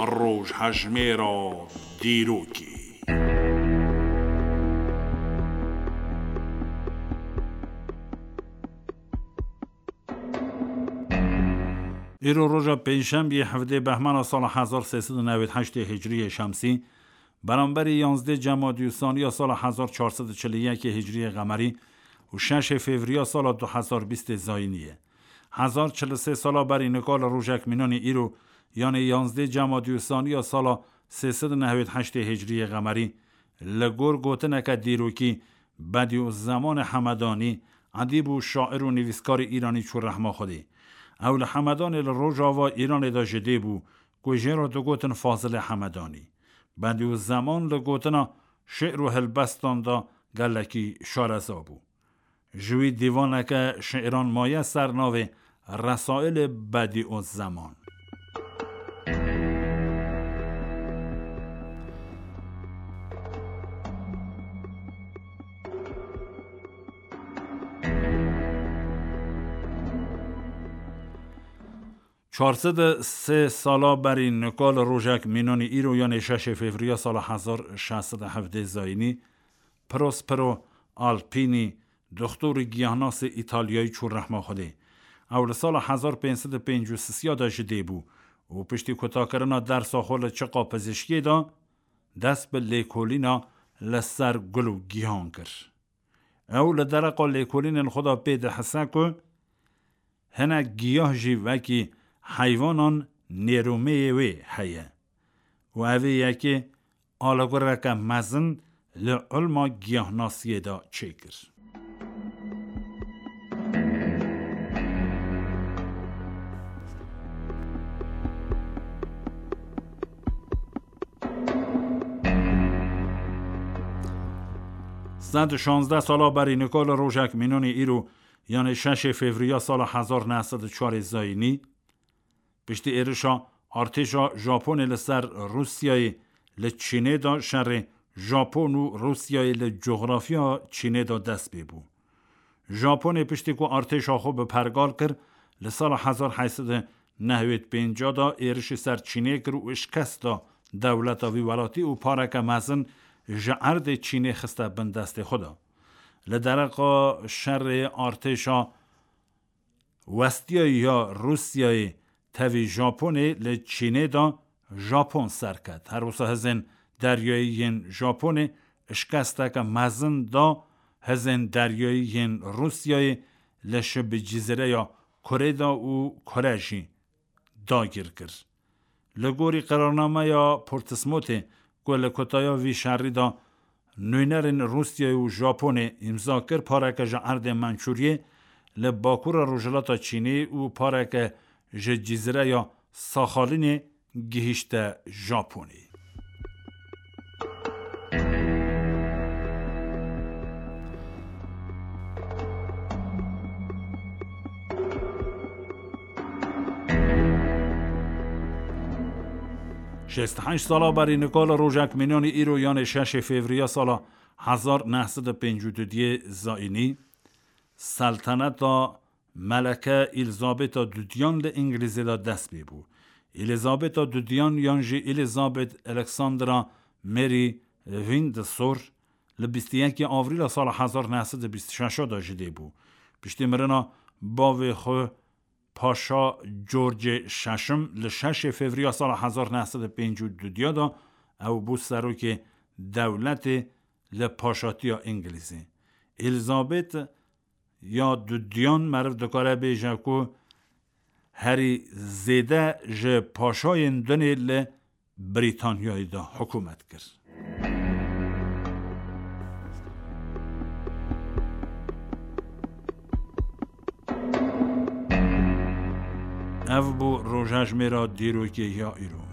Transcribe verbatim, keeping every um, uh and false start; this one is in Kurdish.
Rojhejmêra dîrokê. Îro roja pêncşembiyê hevdê behmana sala hezar sê sed û newêd heştê hicriyê şemsî, beramberî yanzdê cemadî û saniya sala hezar çar sed û çil û yekê hicriyê qemerî û şeşê fevriya sala du hezar bîstê zayînî ye. Hezar çil û sê sala berî nika li rojek mînanî îro, yanê yanzdê cemadî û saniya sala sê sed û newêd heştê hicriyê qemerî, li gor gotineke dîrokî, Bedîuzzemanê Hemedanî, edîb û şair û nivîskarê îranî çû rehma Xwedê. Ew li Hemedanê li rojava Îranê de ji dê bû, ku jê re digotin Fazilê Hemedanî. Bedîuzzeman li gotina şi'r û helbestan de gelekî şareza bû. Ji wî dîvaneke şiiran maye ser navê Resailê Bedîuzzeman. Çar sed û sê sala berî nika li rojek mînanî îro, yanê şeşê fevriya sala hezar şeş sed û hevdeh zayînî, Prospero Alpini, doxtorî giyahnasê Îtalyayî çû rehma Xwedê. Ew li sala hezar pênc sed û pêncî û sisiya de ji dê bû û piştî kutakirina dersa xwe li çiqa pizîşkiyê de, dest bi lêkolîna li ser gul û gihan kir. Ew li dereqa lêkolînên xwe de pê dihise ku hinek giyah jî wekî heywanan nêrûmeyê wê heye û ev ê yekê alegoreke mezin li ilma giyahnasiyê de çêkir. Sed û şazdeh sala berî nika li rojek mînanî îro, yanê şeşê fevriya sala hezar neh sed û çarê zayînî, piştî êrişa artêşa Japonê li ser Rûsyayê li Çînê de şerê Japon û Rûsyayê li coxrafiya Çînê de dest pê bû. Japonê piştî ku artêşa xwe bi pergal kir, li sala hezar heyt sed û newêd pênc de êrişî ser Çînê kir û şikest da dewleta vî welatî û pareke mezin ji erdê Çînê xiste bin destê xwe de. Li dereqa şerê artêşa westiyayî ya Rûsyayê tevî Japonê li Çînê de Japon serket. Her wisa hizên deryayî yên Japonê şikesteke mezin da hizên deryayî yên Rûsyayê li şibî cizîreya Kurê de û Kure jî dagir kir. Li gorî qerarnameya Portsmouthê ku li kutaya vî şerî de nûnerên Rûsyayê û Japonê îmza kir, pareke ji erdê Mançûriyê li bakura rojhilata Çînê û pareke ji cizîreya Saxalînê gihîşte Japonê. Şêst û heşt sala berî nika li rojek mînanî îro, yanê şeşê fevriya sala hezar neh sed û pêncî û duyê zayînî, Selteneta Meleke Elizabeta Dudiyan li Îngilîzê de dest pê bû. Elizabeta Dudiyan yan jî Elizabeth Alexandra Mary Windsor li bîst û yekê Avrîla sala hezar neh sed û bîst û şeş de ji dê bû. Piştî mirina bavê xwe Paşa George şeşim li şeşê Fevriya sala hezar neh sed û pêncî û du de ew bû serokê dewletê li paşatiya Îngilîzê. Elizabeth ya dudiyan meriv dikare bêje ku herî zêde ji paşayên dunê li Brîtanyayê de hikûmet kir. Ev bû rojhejmêra dîrokê ya îro.